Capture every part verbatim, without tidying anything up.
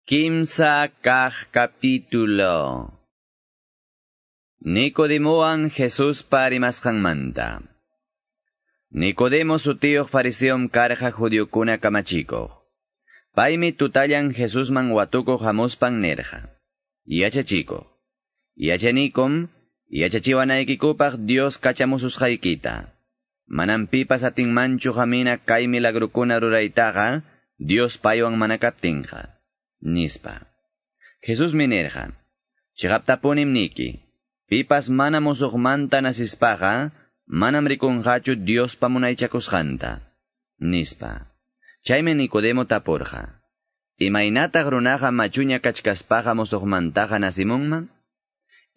Kimsa kaq capítulo. Nicodemowan Jesuspa rimasqanmanta. Nicodemo sutiyuq fariseom karqa judiokuna kamachikuq. Paymi tutallan Jesusman watukuq hamuspan nirqa: Yachachikuq, yachanikum yachachiwanaykikupaq Dios kachamususqaykita. Manam pipas atinmanchu hamina kay milagrukuna ruraytaqa Dios paywan mana kaptinqa, nispa. Jesusmi nirqa: Chiqaptapunim niki, pipas mana musuqmanta nasispaqa, manam rikunqachu Diospa munaychakusqanta, nispa. Chaymi Nicodemo tapurqa: Imaynataq runaqa machuña kachkaspaqa musuqmantaqa nasimunman?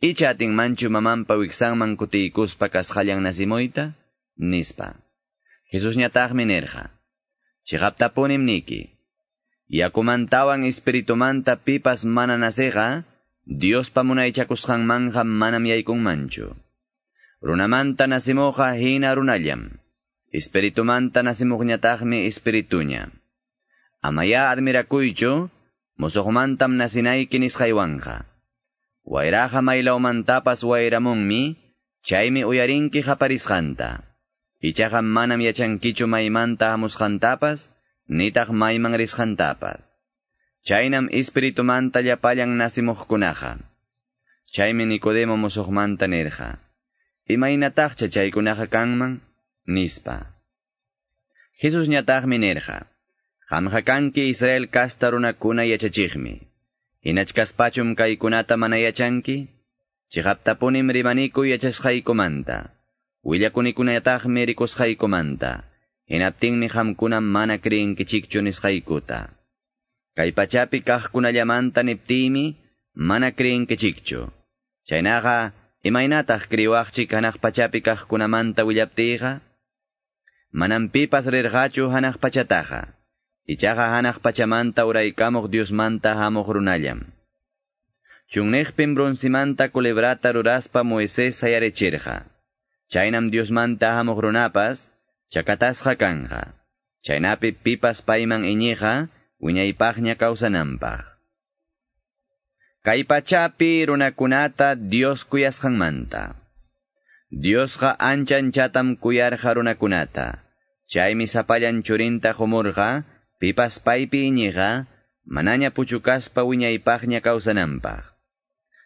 Icha atinmanchu mamanpa wiksanman kutiykuspa kasqallan nasimuyta? Nispa. Jesusñataqmi nirqa: Chiqaptapunim niki, yakumantawan espiritumanta pipas mana nasiqa, Diospa munaychakusqanmanqa manam yaykunmanchu. Runamanta nasimuqqa hina runallam, espiritumanta nasimuqñataqmi espirituña. Amaya admirakuychu, musuqmantam nasinayki nisqaywanqa. Wayraqa maylawmantapas wayramunmi, chaymi uyarinki qaparisqanta. Ichaqa manam yachankichu maymanta hamusqantapas, nitaq mayman risqantapas. Chaynam espiritumanta llapallan nasimuqkunaqa. Chaymi Nicodemo musuqmanta nirqa: Imaynataqcha chaykunaqa kanman? Nispa. Jesusñataqmi nirqa: Qamqa kanki Israel kasta runakuna yachachiqmi. Hinachkaspachum kaykunata mana yachanki? Chiqaptapunim rimaniku yachasqaykumanta. Willakunikunataqmi rikusqaykumanta. Hinaptinmi qamkuna mana creenkichikchu nisqaykuta. Kay pachapi kaqkunallamanta niptiymi mana creenkichikchu. Chaynaqa imaynataq kriwaqchik hanaq pachapi kaqkunamanta willaptiyqa? Manam pipas rirqachu hanaq pachataqa. Ichaqa hanaq pachamanta uraykamuq Diosmanta hamuq runallam. Chunniqpim broncimanta culebrata ruraspa Moisés sayarichirqa. Chaynam Diosmanta hamuq runapas chakatasqa kanqa. Chaynapi pipas payman iñiqa wiñaypaqña kawsananpaq. Kay pachapi runakunata Dios kuyasqanmanta. Diosqa ancha anchatam kuyarqa runakunata. Chaymi sapallan churinta qumurqa, pipas paypi iñiqa, manaña puchukaspa wiñaypaqña kawsananpaq.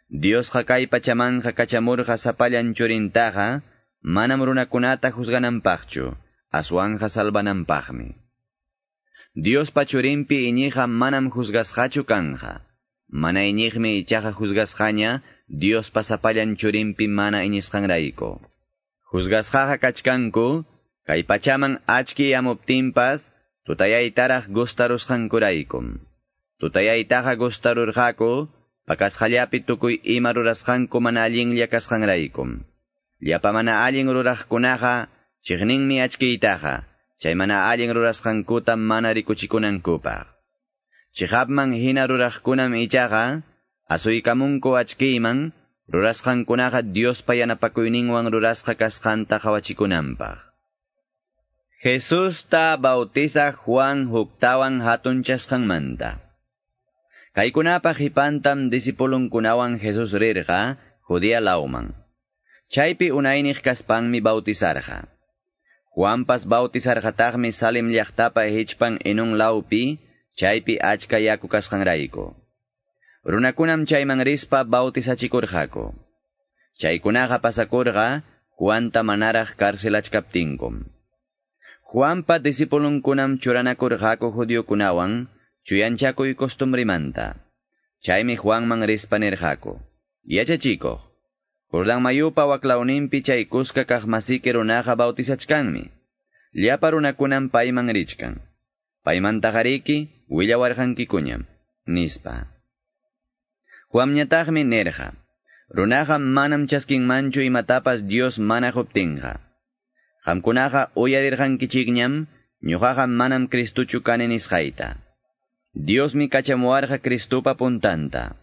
Diosqa kay pachamanqa kachamurqa sapallan churintaqa, manam runakunata juzgananpaqchu, aswanqa salvananpaqmi. Diospa churinpi iñiqa manam juzgasqachu kanqa. Mana iñiqmi ichaqa juzgasqaña Diospa sapallan churinpi mana iñisqanrayku. Juzgasqaqa kachkanku, kay pachaman achki yamuptinpas, tutayaytaraq gustarusqankuraykum. Tutayaytaqa gustarurqaku, pakasqallapi tukuy ima rurasqanku mana allinlla kasqanraykum. Llapa mana allin ruraqkunaqa chiqninmi achkiytaqa, chay mana allin rurasqankuta mana rikuchikunankupaq. Chiqapman hina ruraqkunam ichaqa, asuykamunku achkiyman, rurasqankunaqa Diospa yanapakuyninwan rurasqa kasqanta qawachikunanpaq. Jesusta bautizaq Juan huktawan hatunchasqanmanta. Kaykunapa qipantam discipulunkunawan Jesús rirqa Judea lawman. Chaypi unayniq kaspanmi bautizarqa. Juanpas bautizarqataqmi Salim llaqtapa hichpan Enón lawpi, chaypi achka yaku kasqanrayku. Runakunam chayman rispa bautizachikurqaku. Chaykunaqa pasakurqa Juanta manaraq karcelachkaptinkum. Juanpa discipulunkunam churanakurqaku judiokunawan chuyanchakuy costumbrimanta. Chaymi Juanman rispa nirqaku: Yachachikuq, Jordán mayupa waklawninpi chay kuska kaqmasiki runaqa bautizachkanmi. Llapa runakunam payman richkan. Paymantaqariki willawarqankikuñam, nispa. Juanñataqmi nirqa: Runaqa manam chaskinmanchu imatapas Dios mana quptinqa. Qamkunaqa uyarirqankichikñam, ñuqaqa manam Cristuchu kani nisqayta. Diosmi kachamuwarqa Cristupa puntanta.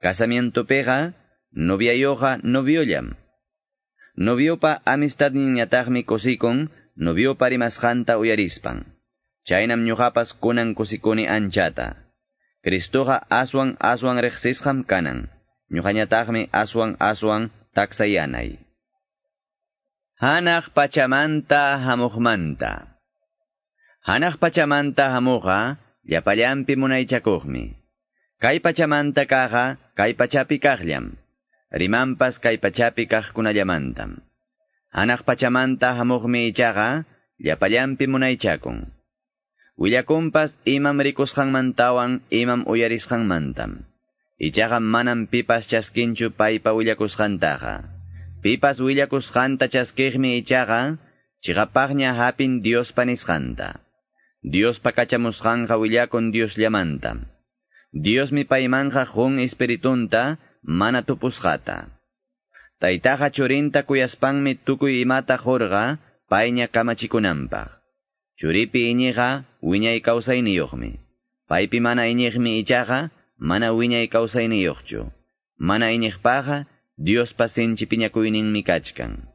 Casamientopiqa noviayuqa noviollam. Noviopa amistadninñataqmi kusikun noviopa rimasqanta uyarispan. Chaynam ñuqapas kunan kusikuni anchata. Cristoqa aswan aswan riqsisqam kanan. Ñuqañataqmi aswan aswan taksayanay. Hanaq pachamanta hamuqmanta. Hanaq pachamanta hamuqa llapallanpi munaychakuqmi. Kay pachamanta kaqa kay pachapi kaqllam. Rimanpas kay pachapi kaqkunallamantam. Hanaq pachamanta hamuqmi ichaqa llapallanpi munaychakun. Willakunpas imam rikusqanmantawan imam uyarisqanmantam. Ichaqa manam pipas chaskinchu paypa willakusqantaqa. Pipas willakusqanta chaskiqmi ichaqa chiqapaqña hapin Diospa nisqanta. Diospa kachamusqanqa willakun Diosllamantam. Diosmi paymanqa qun espiritunta mana tupusqata. Taytaqa churinta kuyaspanmi tukuy imata qurqa payña kamachikunanpaq. Churipi iñiqa wiñay kawsayniyuqmi. Paypi mana iñiqmi ichaqa mana wiñay kawsayniyuqchu. Mana iñiqpaqa Diospa sinchi piñakuyninmi kachkan.